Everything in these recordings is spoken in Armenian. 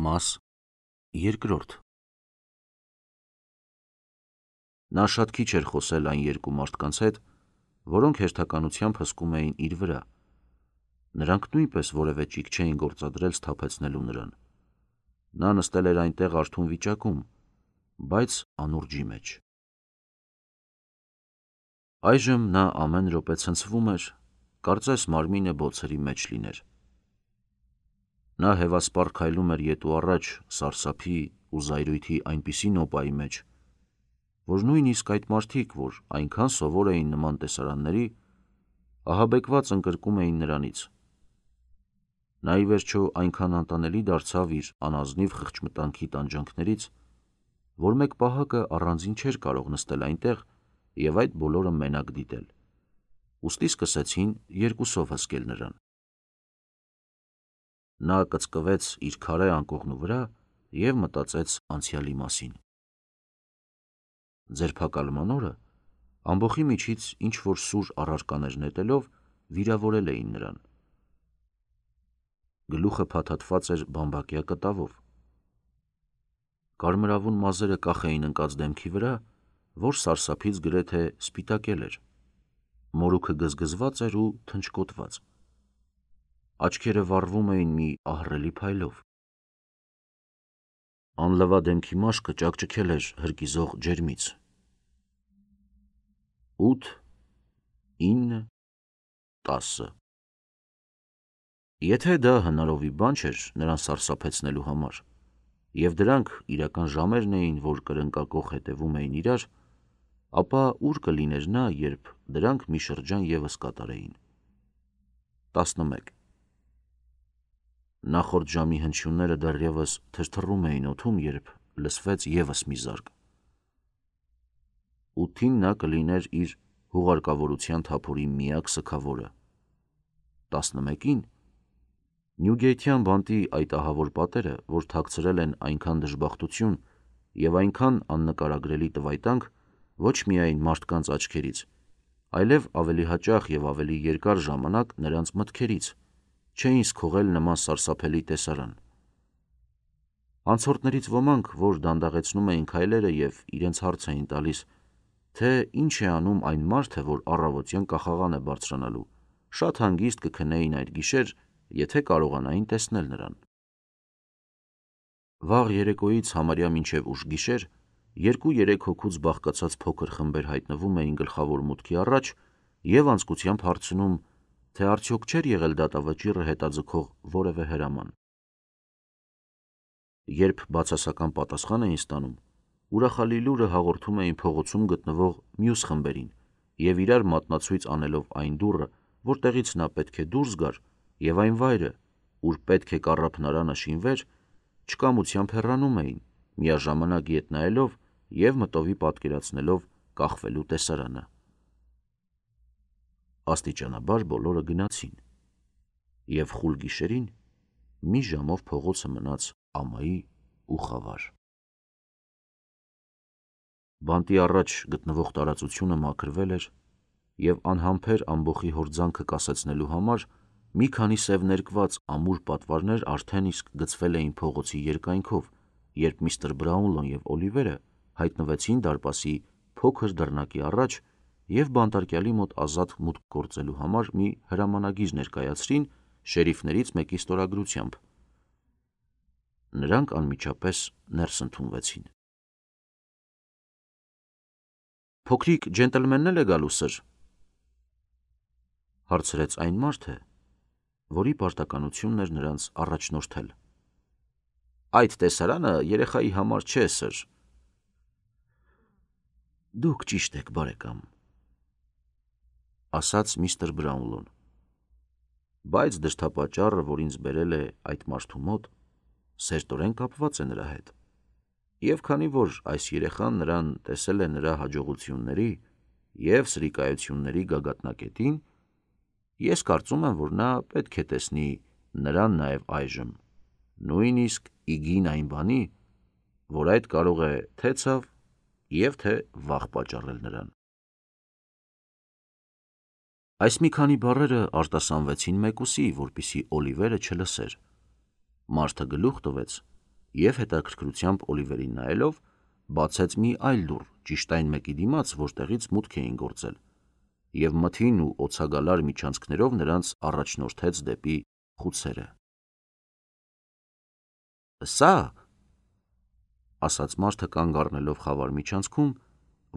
Մաս երկրորդ Նա շատ քիչ էր խոսել այն երկու մարդկանց հետ, որոնք հերթականությամբ հսկում էին իր վրա. նրանք նույնպես որևէ ճիգ չէին գործադրել սթափեցնելու նրան: Նա նստել էր այնտեղ արթուն վիճակում, բայց անուրջի մեջ: Այժմ նա ամեն րոպե ցնցվում էր, կարծես մարմինը բոցերի մեջ լիներ: Նա հևասպառ քայլում էր ետ ու առաջ սարսափի ու զայրույթի այնպիսի նոպայի մեջ, որ նույնիսկ այդ մարդիկ, որ այնքան սովոր էին նման տեսարանների, ահաբեկված ընկրկում էին նրանից: Նա ի վերջո այնքան անտանելի դարձավ իր անազնիվ խղճմտանքի տանջանքներից, որ մեկ պահակը առանձին չէր կարող նստել այնտեղ և այդ բոլորը մենակ դիտել, ուստի սկսեցին երկուսով հսկել նրան: Նա կծկվեց իր քարե անկողնու վրա և մտածեց անցյալի մասին: Ձերբակալման օրը ամբոխի միջից ինչ-որ սուր առարկաներ նետելով վիրավորել էին նրան: Գլուխը փաթաթված էր բամբակյա կտավով: Կարմրավուն մազերը կախ էին ընկած դեմքի վրա, որ սարսափից գրեթե սպիտակել էր: Մորուքը գզգզված էր ու թնճկոտված: Աչքերը վառվում էին մի ահռելի փայլով: Անլվա դեմքի մաշկը ճաքճքել էր հրկիզող ջերմից: 8, 9, 10 Եթե դա հնարովի բան չէր նրան սարսափեցնելու համար, և դրանք իրական ժամերն էին, որ կրնկակոխ հետևում էին իրար, ապա ուր կլիներ նա, երբ դրանք մի շրջան ևս կատարեին: 11 Նախորդ ժամի հնչյունները դեռևս թրթռում էին օդում, երբ լսվեց ևս մի զարկ: 8-ին նա կլիներ իր հուղարկավորության թափորի միակ սգավորը: 11-ին Նյուգեյթյան բանտի այդ ահավոր պատերը, որ թաքցրել են այնքան դժբախտություն և այնքան աննկարագրելի տվայտանք ոչ միայն մարդկանց աչքերից, այլև ավելի հաճախ և ավելի երկար ժամանակ նրանց մտքերից, չէին սքողել նման սարսափելի տեսարան: Անցորդներից ոմանք, որ դանդաղեցնում էին քայլերը և իրենց հարց էին տալիս, թե ինչ է անում այն մարդը, որ առավոտյան կախաղան է բարձրանալու, շատ հանգիստ կքնեին այդ գիշեր, եթե կարողանային տեսնել նրան: Վաղ երեկոյից համարյա մինչև ուշ գիշեր 2-3 հոգուց բաղկացած փոքր խմբեր հայտնվում էին գլխավոր մուտքի առաջ և անձկությամբ հարցնում, թե արդյոք չէր եղել դատավճիռը հետաձգող որևէ հրաման: Երբ բացասական պատասխան էին ստանում, ուրախալի լուրը հաղորդում էին փողոցում գտնվող մյուս խմբերին և իրար մատնացույց անելով այն դուռը, որտեղից նա պետք է դուրս գար, և այն վայրը, ուր պետք է կառափնարանը շինվեր, չկամությամբ հեռանում էին, միաժամանակ ետ նայելով և մտովի պատկերացնելով կախվելու տեսարանը: Աստիճանաբար բոլորը գնացին, և խուլ գիշերին մի ժամով փողոցը մնաց ամայի ու խավար: Բանտի առաջ գտնվող տարածությունը մաքրվել էր և անհամբեր ամբոխի հորձանքը կասեցնելու համար մի քանի սև ներկված ամուր պատվարներ արդեն իսկ գցվել էին փողոցի երկայնքով, երբ միստր Բրաունլոն և Օլիվերը հայտնվեցին դարպասի փոքր դռնակի առաջ և բանտարկյալի մոտ ազատ մուտք գործելու համար մի հրամանագիր ներկայացրին շերիֆներից մեկի ստորագրությամբ: Նրանք անմիջապես ներս ընդունվեցին: «Փոքրիկ ջենտլմենն էլ է գալու, սըր»: հարցրեց այն մարդը, որի պարտականությունն էր նրանց առաջնորդել: «Այդ տեսարանը երեխայի համար չէ, սըր»: «Դուք ճիշտ եք, բարեկամ», – ասաց միստր Բրաունլոն, «բայց դրդապատճառը, որ ինձ բերել է այդ մարդու մոտ, սերտորեն կապված է նրա հետ, և քանի որ այս երեխան նրան տեսել է նրա հաջողությունների և սրիկայությունների գագաթնակետին, ես կարծում եմ, որ նա պետք է տեսնի նրան նաև այժմ, նույնիսկ ի գին այն բանի, որ այդ կարող է թե ցավ և թե վախ պատճառել նրան»: Այս մի քանի բառերը արտասանվեցին մեկուսի, որպեսզի Օլիվերը չլսեր: Մարդը գլուխ տվեց և հետաքրքրությամբ Օլիվերին նայելով, բացեց մի այլ դուռ ճիշտ այն մեկի դիմաց, որտեղից մուտք էին գործել, և մթին ու օձագալար միջանցքներով նրանց առաջնորդեց դեպի խուցերը։ «Սա», ասաց մարդը կանգ առնելով խավար միջանցքում,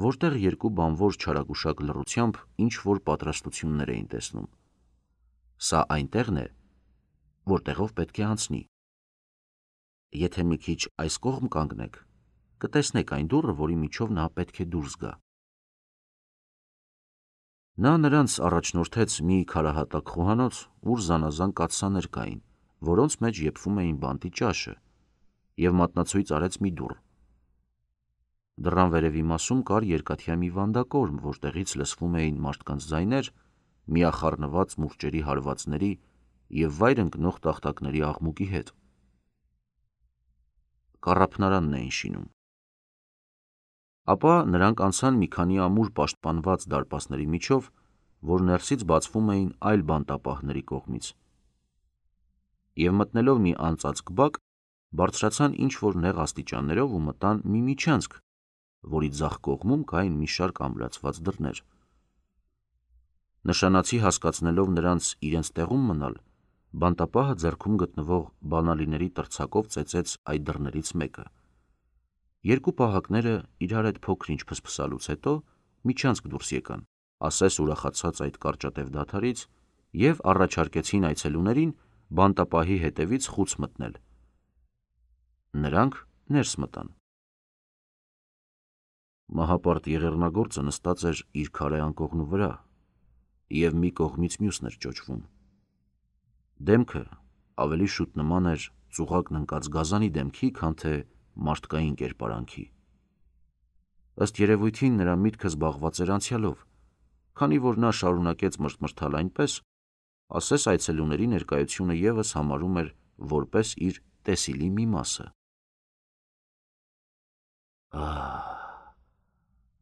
որտեղ երկու բանվոր չարագուշակ լռությամբ ինչ-որ պատրաստություններ էին տեսնում, «սա այնտեղն է, որտեղով պետք է անցնի։ Եթե մի քիչ այս կողմ կանգնեք, կտեսնեք այն դուռը, որի միջով նա պետք է դուրս գա»։ Նա նրանց առաջնորդեց մի քարահատակ խոհանոց, ուր զանազան կաթսաներ կային, որոնց մեջ եփվում էին բանտի ճաշը, և մատնացույց արեց մի դուռ։ Դռան վերևի մասում կար երկաթյա մի վանդակորմ, որտեղից լսվում էին մարդկանց ձայներ, միախառնված մուրճերի հարվածների և վայր ընկնող տախտակների աղմուկի հետ։ Կառափնարանն էին շինում։ Ապա նրանք անցան մի քանի ամուր պաշտպանված դարպասների միջով, որ ներսից բացվում էին այլ բանտապահների կողմից, և մտնելով մի անծածկ բակ, բարձրացան ինչ-որ նեղ աստիճաններով ու մտան մի միջանցք, որի ձախ կողմում կային մի շարք ամրացված դռներ։ Նշանացի հասկացնելով նրանց իրենց տեղում մնալ, բանտապահը ձեռքում գտնվող բանալիների տրցակով ծեծեց այդ դռներից մեկը։ Երկու պահակները իրար հետ փոքր-ինչ փսփսալուց հետո միջանցք դուրս եկան, ասես ուրախացած այդ կարճատև դադարից, և առաջարկեցին այցելուներին բանտապահի հետևից խուց մտնել։ Նրանք ներս մտան։ Մահապարտ եղեռնագործը նստած էր իր քարե անկողնու վրա և մի կողմից մյուսն էր ճոճվում։ Դեմքը ավելի շուտ նման էր ծուղակն ընկած գազանի դեմքի, քան թե մարդկային կերպարանքի։ Ըստ երևույթին նրա միտքը զբաղված էր անցյալով, քանի որ նա շարունակեց մրթմրթալ այնպես, ասես այցելուների ներկայությունը ևս համարում էր որպես իր տեսիլի մի մասը։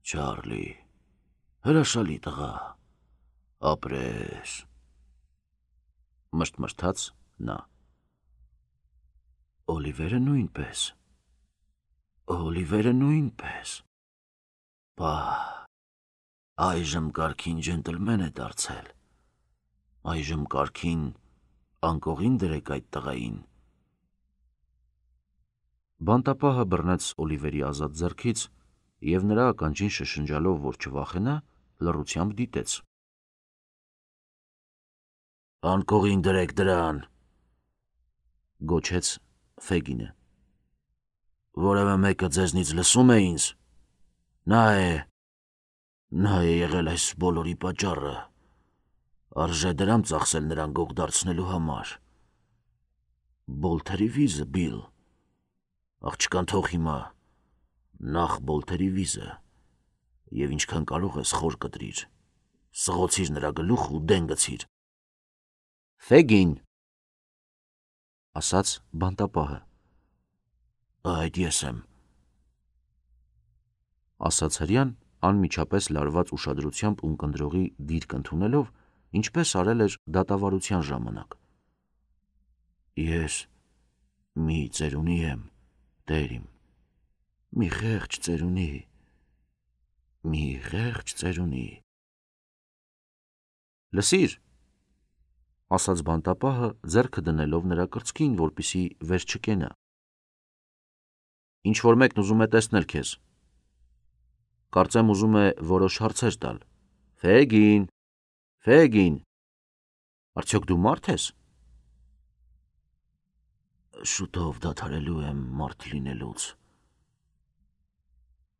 Չարլի, հրաշալի տղա, ապրես, մրթմրթաց նա։ Օլիվերը նույնպես։ Այժմ կարգին ջենտլմեն է դարձել։ Այժմ կարգին անկողին դրեք այդ տղային։ Բանտապահը բռնեց Օլիվերի ազատ ձեռքից և նրա ականջին շշնջալով, որ չվախենա, լռությամբ դիտեց։ «Անկողին դրեք դրան», գոչեց Ֆեգինը։ «Որևէ մեկը ձեզնից լսում է ինձ։ Նա է եղել այս բոլորի պատճառը։ Արժե դրամ ծախսել նրան գող դարձնելու համար։ Բոլթերի վիզը, Բիլ։ Աղջկան թող հիմա, նախ Բոլթերի վիզը, և ինչքան կարող ես խոր կտրիր, սղոցիր նրա գլուխը ու դեն գցիր»։ «Ֆեգին», ասաց բանտապահը։ «Այդ ես եմ», ասաց հրեան, անմիջապես լարված ուշադրությամբ ունկնդրողի դիրք ընդունելով, ինչպես արել էր դատավարության ժամանակ։ «Ես մի ծերունի եմ, տեր իմ, մի խեղճ ծերունի։ Լսիր», ասաց բանտապահը, ձեռքը դնելով նրա կրծքին, որպեսզի վեր չկենա։ «Ինչ-որ մեկն ուզում է տեսնել քեզ։ Կարծեմ ուզում է որոշ հարցեր տալ։ Ֆեգին, արդյոք դու մարդ ես»։ «Շուտով դադարելու եմ մարդ լինելուց»,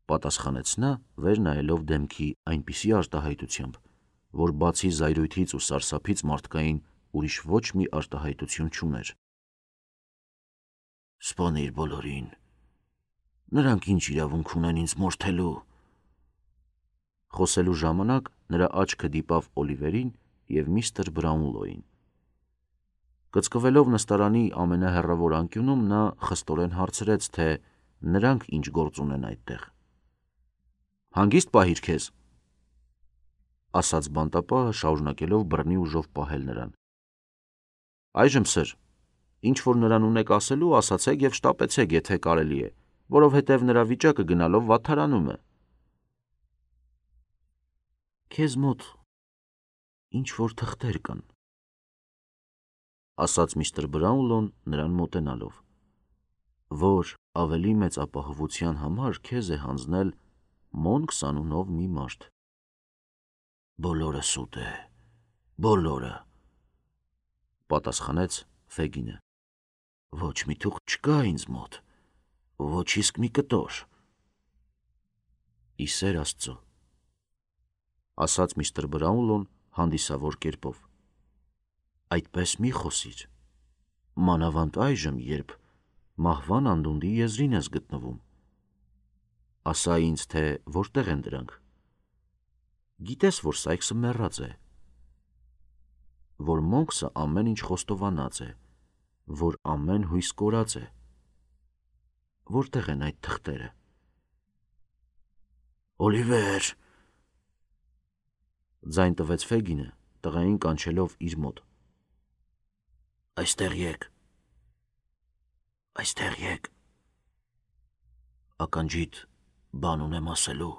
պատասխանեց նա, վեր նայելով դեմքի այնպիսի արտահայտությամբ, որ բացի զայրույթից ու սարսափից մարդկային ուրիշ ոչ մի արտահայտություն չուներ։ «Սպանիր բոլորին։ Նրանք ինչ իրավունք ունեն ինձ մորթելու»։ Խոսելու ժամանակ նրա աչքը դիպավ Օլիվերին և միստր Բրաունլոյին։ Կծկվելով նստարանի ամենահեռավոր անկյունում, նա խստորեն հարցրեց, թե նրանք ինչ գործ ունեն այդտեղ։ «Հանգիստ պահիր քեզ», ասաց բանտապահը, շարունակելով բռնի ուժով պահել նրան։ «Այժմ սըր, Ինչ որ նրան ունեք ասելու, ասացեք և շտապեցեք, եթե կարելի է, որովհետև նրա վիճակը գնալով վատթարանում է։ Քեզ մոտ ինչ-որ թղթեր կան, ասաց միստր Բրաունլոն նրան մոտենալով, որ ավելի մեծ ապահովության համար քեզ է հանձնել Մոնքս անունով մի մարդ։ Բոլորը սուտ է, բոլորը, պատասխանեց Ֆեգինը։ Ոչ մի թուղթ չկա ինձ մոտ, ոչ իսկ մի կտոր։ Ի սեր Աստծո, ասաց միստր Բրաունլոն հանդիսավոր կերպով։ Այդպես մի խոսիր, մանավանդ այժմ, երբ մահվան անդունդի եզրին ես գտնվում։ Ասա ինձ, թե որտեղ են դրանք։ Գիտես, որ Սայքսը մեռած է, որ Մոնքսը ամեն ինչ խոստովանած է, որ ամեն հույս կորած է։ Որտեղ են այդ թղթերը։ Օլիվեր, ձայն տվեց Ֆեգինը, տղային կանչելով իր մոտ։ Այստեղ եկ, այստեղ եկ։ Ականջիդ բան ունեմ ասելու։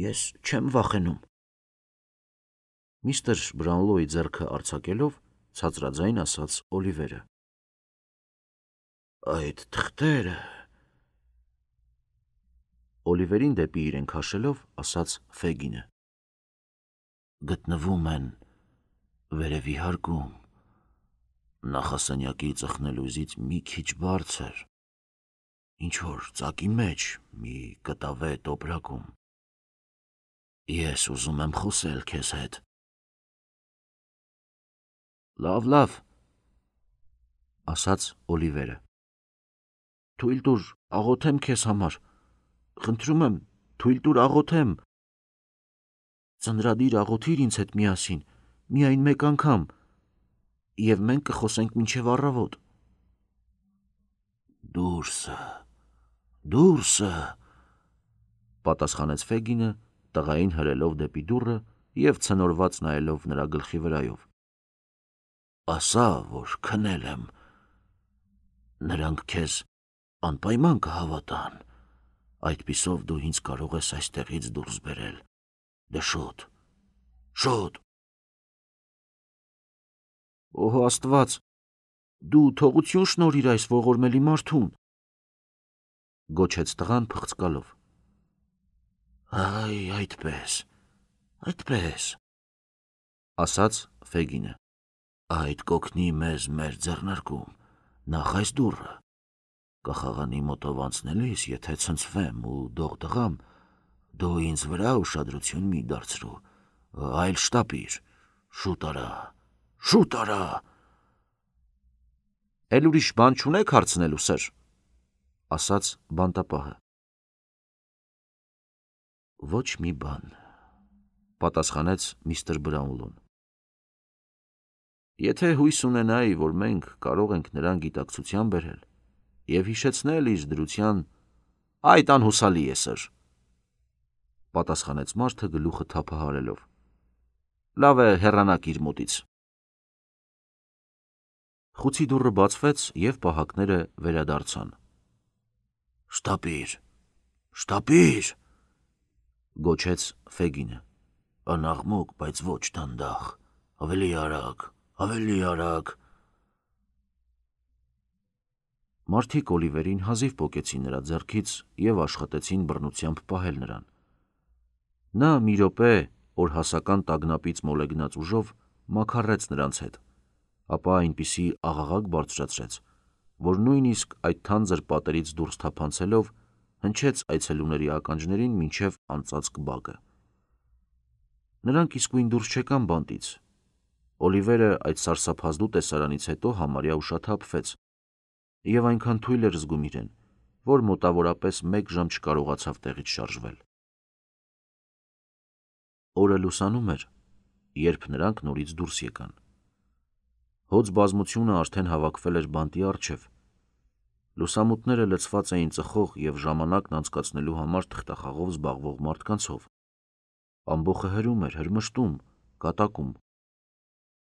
Ես չեմ վախենում։ Միստր Բրաունլոյի ձեռքը արձակելով, ցածրաձայն ասաց Օլիվերը։ Այդ թղթերը… Օլիվերին դեպի իրեն քաշելով, ասաց Ֆեգինը։ Գտնվում են վերևի հարկում, նախասենյակի ծխնելույզից մի քիչ բարձր, ինչ-որ ծակի մեջ, մի կտավե տոպրակում։ Ես ուզում եմ խոսել քեզ հետ։ Լավ, ասաց Օլիվերը։ Թույլ տուր աղոթեմ քեզ համար, խնդրում եմ, թույլ տուր աղոթեմ։ Ծնրադիր աղոթիր ինձ հետ միասին, միայն մեկ անգամ, և մենք կխոսենք մինչև առավոտ։ Դուրսը, պատասխանեց Ֆեգինը, տղային հրելով դեպի դուռը և ցնորված նայելով նրա գլխի վրայով։ Ասա, որ քնել եմ, նրանք քեզ անպայման կհավատան, այդպիսով դու ինձ կարող ես այստեղից դուրս բերել, դե շուտ։ Օհո Աստված, դու թողություն շնորհիր այս ողորմելի մարդուն, գոչեց տղան փղծկալով։ Այ, այդպես, ասաց Ֆեգինը, այդ կօգնի մեզ մեր ձեռնարկում, նախ այս դուռը, կախաղանի մոտով անցնելիս, եթե ցնցվեմ ու դողդղամ, դու ինձ վրա ուշադրություն մի դարձրու, այլ շտապիր, շուտ արա։ Էլ ուրիշ բան չունեք հարցնելու, սըր, ասաց բանտապահը։ Ոչ մի բան, պատասխանեց միստր Բրաունլոն։ Եթե հույս ունենայի, որ մենք կարող ենք նրան գիտակցության բերել և հիշեցնել իր դրության, այդ անհուսալի է, սըր, պատասխանեց մարդը գլուխը թափահարելով։ Լավ է, հեռանաք իր մոտից։ Խուցի դուռը բացվեց և պահակները վերադարձան։ Շտապիր, գոչեց Ֆեգինը։ Անաղմուկ, բայց ոչ դանդաղ, ավելի արագ։ Մարդիկ Օլիվերին հազիվ պոկեցին նրա ձեռքից և աշխատեցին բռնությամբ պահել նրան։ Նա մի րոպե օրհասական տագնապից մոլեգնած ուժով մաքարեց նրանց հետ, ապա այնպիսի աղաղակ բարձրացրեց, որ նույնիսկ այդ թանձր պատերից դուրս թափանցելով հնչեց այցելուների ականջներին մինչև անծածկ բակը։ Նրանք իսկույն դուրս չեկան բանտից։ Օլիվերը այդ սարսափազդու տեսարանից հետո համարյա ուշաթափվեց և այնքան թույլ էր զգում իրեն, որ մոտավորապես 1 ժամ չկարողացավ տեղից շարժվել։ Օրը լուսանում էր, երբ նրանք նորից դուրս եկան։ Հոծ բազմությունը արդեն հավաքվել էր բանտի առջև։ Լուսամուտները լցված էին ծխող և ժամանակն անցկացնելու համար թղթախաղով զբաղվող մարդկանցով։ Ամբոխը հրում էր, հրմշտում, կատակում։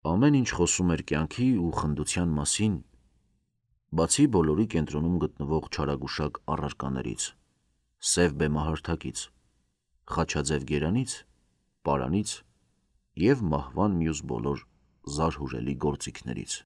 Ամեն ինչ խոսում էր կյանքի ու խնդության մասին, բացի բոլորի կենտրոնում գտնվող չարագուշակ առարկաներից, սև բեմահարթակից, խաչաձև գերանից, պարանից և մահվան մյուս բոլոր զարհուրելի գործիքներից։